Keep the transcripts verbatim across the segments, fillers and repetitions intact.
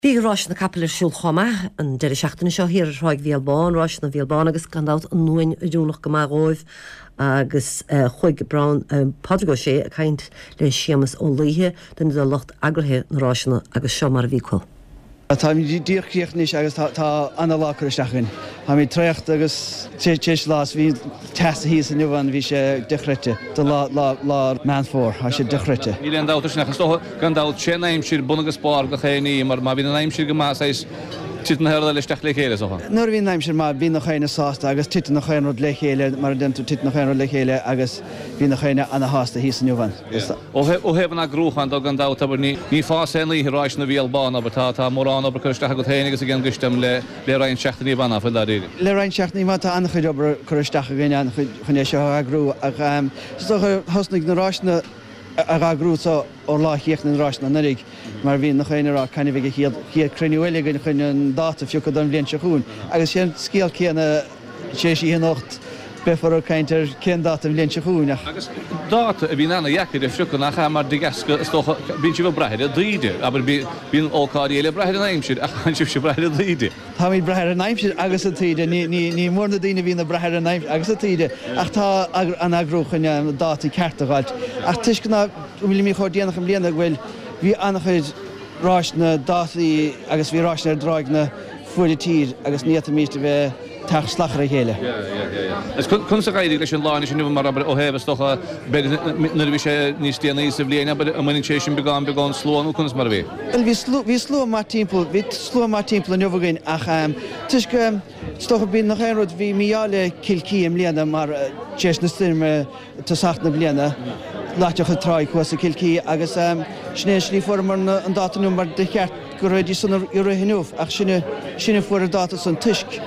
Bhí ráis na capall ar siúl chomh maith an deireadh seachtaine seo thiar ar Thráigh Bhéal Bán, ráis na Bhéal Bán agus gan dabht an uain oiriúnach go maith dhóibh agus uh, chuaigh Brown uh, Pádraig Ó Sé ag caint le Séamus Ó Laoithe duine de lucht eagraithe na ráiseanna agus seo mar a bhí acu. Tá díreach críochnaithe agus tá an-lá curtha isteach againn. Tá traochta agus téis lás bhí teas thíos inniu an bhí sé dochreidte do lá lá Meán Fómhair, tá sé dochreidte. Níl aon dabht sin ach gan dabht sé an aimsir bun agus barr gach aon ní mar má bhíonn an aimsir go maith is titeann na rudaí isteach le chéile socha. Nuair a bhíonn an aimsir maith bíonn gach éinne sásta agus titeann gach aon rud le chéile mar a déantar titeann gach aon rud le chéile agus bhí gach éinne ana-shásta thíos inniu an. Ó thaobh an eagrúcháin de gan dabht abair ní ní fás aon oíche ráis na Bhéal Bán abair tá tá mórán obair curtha isteach agat féin agus ag an gcoiste le le roinnt seachtainí banna fuil dáiríre. Le roinnt seachtainí má tá an-chuid obair curtha isteach againn an-chuid chun é seo a eagrú ach thosnaigh na ráiseanna a eagrú so ó lá chéachna na ráiseanna anuraidh mar bhí gach éinne ag rá cathain a bheidh an chéad chéad cruinniú eile againn chun an dáta a phiocadh don bhliain seo chugainn. Agus sé an scéal céanna sé sí anocht beifear ag caint ar cén dáta an bhliain seo chugainn ach. Agus dáta a bhíonn ana-dheacair a phiocadh nach ea mar de dheasca is dócha bíonn sibh ag brath ar an taoide, abair bíonn ócáidí eile ag brath ar an aimsir ach bíonn sibhse ag brath ar an taoide. Táimid ag brath ar an aimsir agus an taoide, ní ní ní mór na daoine a bhíonn ag brath ar an aimsir agus an taoide ach tá an eagrú chun an dáta ceart a fháilt. Ach toisc ná bhfuilimid chomh déanach i mbliana go bhfuil bhí an-chuid ráiseanna dátaí agus bhí ráiseanna ar dtráigh na fuaire tír agus ní fhéadfaimis a bheith teacht salach ar a chéile. Is conas a d'éirigh leis an lá sin mar abair ó thaobh is dócha b'fhéidir nuair a bhí sé níos déanaí sa bhliain abair an mbaineann sé sin beagán beagán slua nó conas mar a bhí? Bhuel bhí slua bhí slua maith timpeall bhí slua maith timpeall inniu againn ach toisc is dócha bíonn nach aon rud bhí mí-ádh le Cill Chi i mbliana mar tar éis na stoirme tosach na bliana loiteadh an tráigh thuas i Cill Chi agus sin é an slí fuaireamar an dáta inniu mar de cheart go raibh san i rith inniu ach sinne sinne fuair an dáta san toisc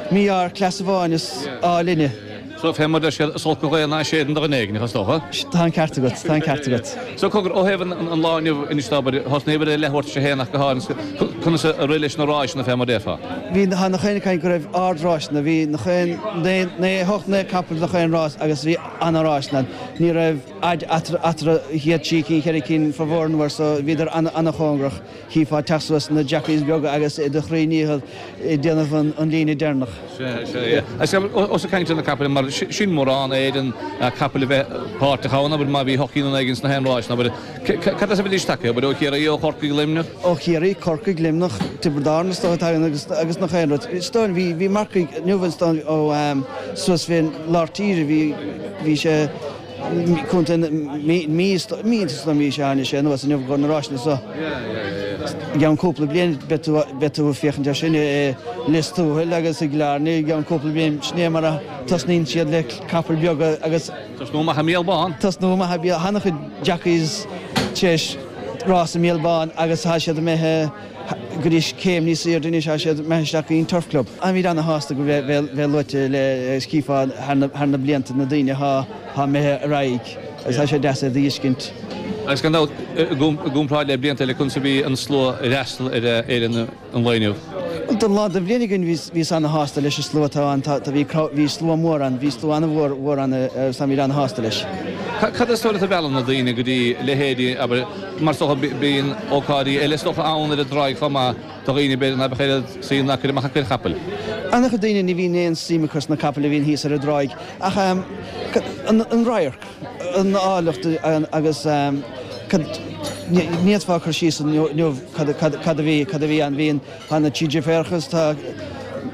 mí-ádh ar cleas amháin is ádh linne. So fé mar deir siad is olc an ghaoth ná séideann do dhuine éigin, is dócha? Tá an ceart agat, tá an ceart agat. So cogar, ó thaobh an lá inniu anois abair, thosnaíobhair ar leathuair tar éis a haon ach go háirithe, conas a rith leis na ráiseanna fé mar déarfá? Bhí tá nach aon caint go raibh ard-ráiseanna, bhí nach aon naoi naoi hocht naoi capall nach aon rás agus bhí ana-ráiseanna ann. Ní raibh fhaid eatarthu chéad trí cinn, ceithre cinn formhór an uair so bhíodar ana-chóngarach. Chífeá teacht suas na jockeys beaga agus iad a chroí ndícheall ag déanamh an líne deireanach. Sea, sea, yeah. Agus ós ag caint ar na capaill mar sin mórán a éireann capaill a bheith páirteach ann, abair má bhí hocht gcinn nó naoi gcinn sna haon ráis, abair cad as a bhídís tagtha, abair ó Chiarraí, ó Chorcaigh, Luimneach? Ó Chiarraí, Corcaigh, Luimneach, Tiobraid Árann is dócha tagann agus agus nach aon rud. Is dóigh bhí bhí marcaigh inniu is dóigh ó suas fén lár tíre bhí bhí sé Contae na Mí is dóigh sea tháinig sé anuas inniu go na ráiseanna seo. I gceann cúpla bliain beidh tú beidh tú ag féachaint air sin i Lios Tuathail agus i gCill Airne i gceann cúpla bliain. Sin é mar a tosnaíonn siad le capaill beaga agus. Tosnú amach i mBéal Bán. Tosnú amach i Béal, an-chuid jockeys tar éis rás i mBéal Bán agus tá siad imithe go dtí céim níos airde anois, tá siad imithe isteach go dtí an Turf Club. Táimid ana-shásta go bheith bheith luaite le chífeá thar na thar na blianta na daoine atá atá imithe ar aghaidh agus tá sé deas é a fheiscint. Agus gan dabht, i gcomparáid le blianta eile, conas a bhí an slua ag freastal ar fhéile an lae inniu? Bhuel, don lá den bhliain againn bhíos ana-shásta leis an slua atá ann. Tá, bhí, bhí slua mór ann, bhí slua an-mhór mhór ann agus táimid ana-shásta leis. Cad is dóigh leat a mheallann na daoine go dtí leithéidí, abair, mar is dócha bíonn ócáidí eile is dócha ann ar an dtráigh chomh maith do dhaoine b'fhéidir ná beadh oiread suim ná cur amach acu ar chapaill? An-chuid daoine, ní bhíonn aon suim acu sna capaill a bhíonn thíos ar an dtráigh ach an radharc, an áilleacht agus cad, ní fhéadfá cur síos inniu cad a bhí, cad a bhí ann. Bhí an, tá na Trí Deirfiúracha is tá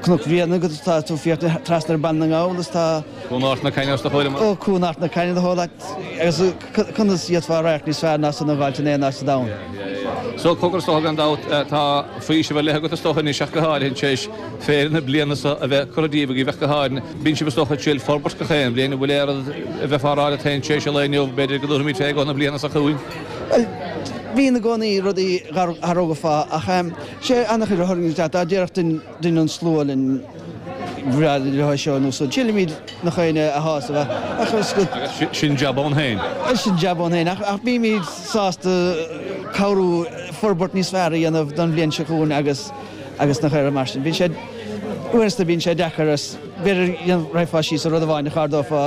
Cnoc Bhréanainn agus tá tú ag féachaint trasna ar Baile na nGall is tá. Cuan Art na Cainne os do chomhair amach. Ó, Cuan Art na Cainne do chomhair agus conas d'fhéadfá radharc níos fearr ná san a dh'fháilt in aon áit sa domhan. So, cogar is dócha gan dabht, tá faoiseamh ar leith agat is dócha anois ach go háirithe tar éis féile na bliana so a bheith curtha díobh agaibh ach go háirithe. Bíonn sibh is dócha ag triail forbairt gach aon bhliain, an bhfuil aon rud a bheifeá a rá leat féin tar éis an lae inniu, b'fhéidir go dtabharfaimid fé i gcomhair na bliana seo chugainn? Bhuel, bíonn i gcónaí rudaí a athrófá ach sé an-chuid a tharraingíonn isteach, dá déarfadh duine an slua linn bhreá leo seo nó so triailimid nach éinne a shásamh ach is go. Agus sin jab ann féin. Sin jab ann féin ach bímid sásta cabhrú forbairt níos fearr a dhéanamh don bhliain seo chugainn agus agus nach air mar sin. Bhí sé Uaireanta bíonn sé deacair is b'fhéidir raghfá síos ar rud amháin ach ardófá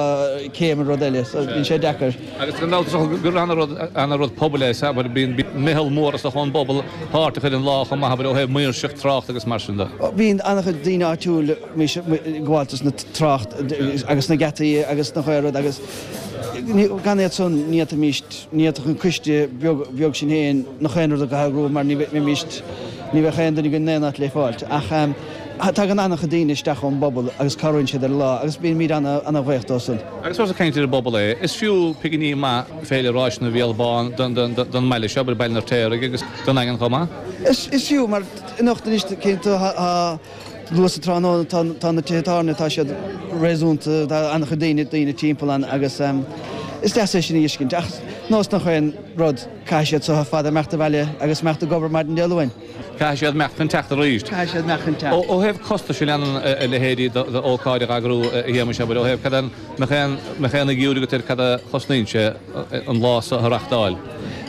céim ar rud eile, so bíonn sé deacair. Agus gan dabht is dócha gur ana-rud ana-rud pobail é, sea, mar bíonn meitheal mór is dócha ón bpobal páirteach ar an lá chomh maith, abair, ó thaobh maoirseacht, trácht agus mar sin de. Bíonn an-chuid daoine áitiúil ag gabháil dos na trácht agus na geataí agus nach aon rud agus gan iad san ní fhéadfaimis, ní fhéadfadh an coiste beag beag sin féin nach aon rud a eagrú mar ní bheimis, ní bheadh aon duine againn in aon áit le fáilt. Ach tagann an-chuid daoine isteach ón bpobal agus cabhraíonn siad ar an lá agus bímid ana-bhuíoch dóibh san. Agus ós ag caint ar an bpobal é, is fiú piginí maith Féile Ráiseanna Bhéal Bán don mbaile seo, Baile an Fheirtéaraigh agus don Daingean chomh maith? Is fiú, mar anocht anois cinnte tá luath sa tráthnóna tá na tithe tábhairne tá siad réasúnta, tá an-chuid daoine daoine timpeall ann agus is deas é sin a fheiscint. Ach nós nach aon rud, caithfidh siad so ar fad imeacht abhaile agus imeacht ag obair maidin Dé Luain. Caithfidh siad imeacht chun teacht arís. Caithfidh siad imeacht chun teacht. Ó thaobh costais a leanann a leithéidí d'ócáid a eagrú, a Shéamais, abair, ó thaobh cad an mbeadh aon mbeadh aon fhigiúr agat ar cad a chosnaíonn sé an lá so a reachtáil?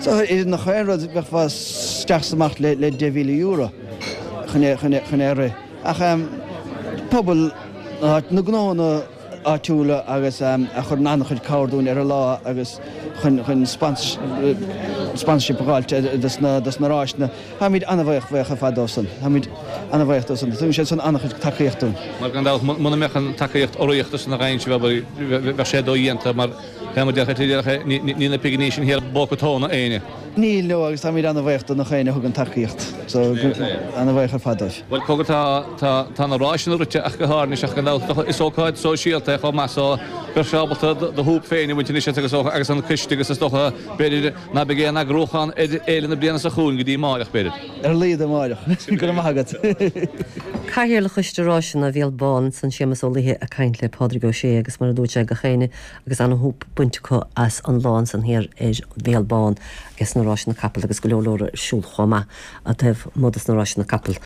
So idir nach aon rud bheifeá isteach is amach le le deich mhíle euro chun é chun é chun é a rith. Ach pobal na gnónna áitiúla agus a chuireann an-chuid cabhair dúinn ar an lá agus chun chun sponsorship a fháilt dos na dos na ráiseanna. Táimid an-bhuíoch bhuíoch ar fad dóibh san. Táimid an-bhuíoch dóibh san. Tugann siad san an-chuid tacaíocht dúinn. Mar gan dabht, muna mbeadh an tacaíocht urraíochta san againn sibh, abair, bheadh sé dodhéanta mar fé mar a déarfá, níl na piginí sin thiar i bpóca tóna éinne. Níl, no, agus táimid an-bhuíoch do nach éinne a thugann tacaíocht. So, an-bhuíoch ar fad dóibh. Bhuel, cogar, tá, tá, tá na ráiseanna rite ach go háirithe ach gan dabht is ócáid sóisialta é chomh maith so beidh sé ábalta do shúp féin a bhaint anois as agus agus an coiste agus is dócha b'fhéidir ná beidh aon eagrúchán ar fhéile na bliana seo chugainn go dtí amáireach b'fhéidir. Ar a laghad amáireach. Go raibh maith agat. Cathaoirleach Choiste Ráiseanna Bhéal Bán ansan Séamus Ó Laoithe ag caint le Pádraig Ó Sé agus mar a dúirt sé gach éinne agus ana-shúp bainte acu as an lá ansan thiar ar Bhéal Bán agus na ráiseanna capall agus go leor leor ar siúl chomh maith taobh amuigh dos na ráiseanna capall.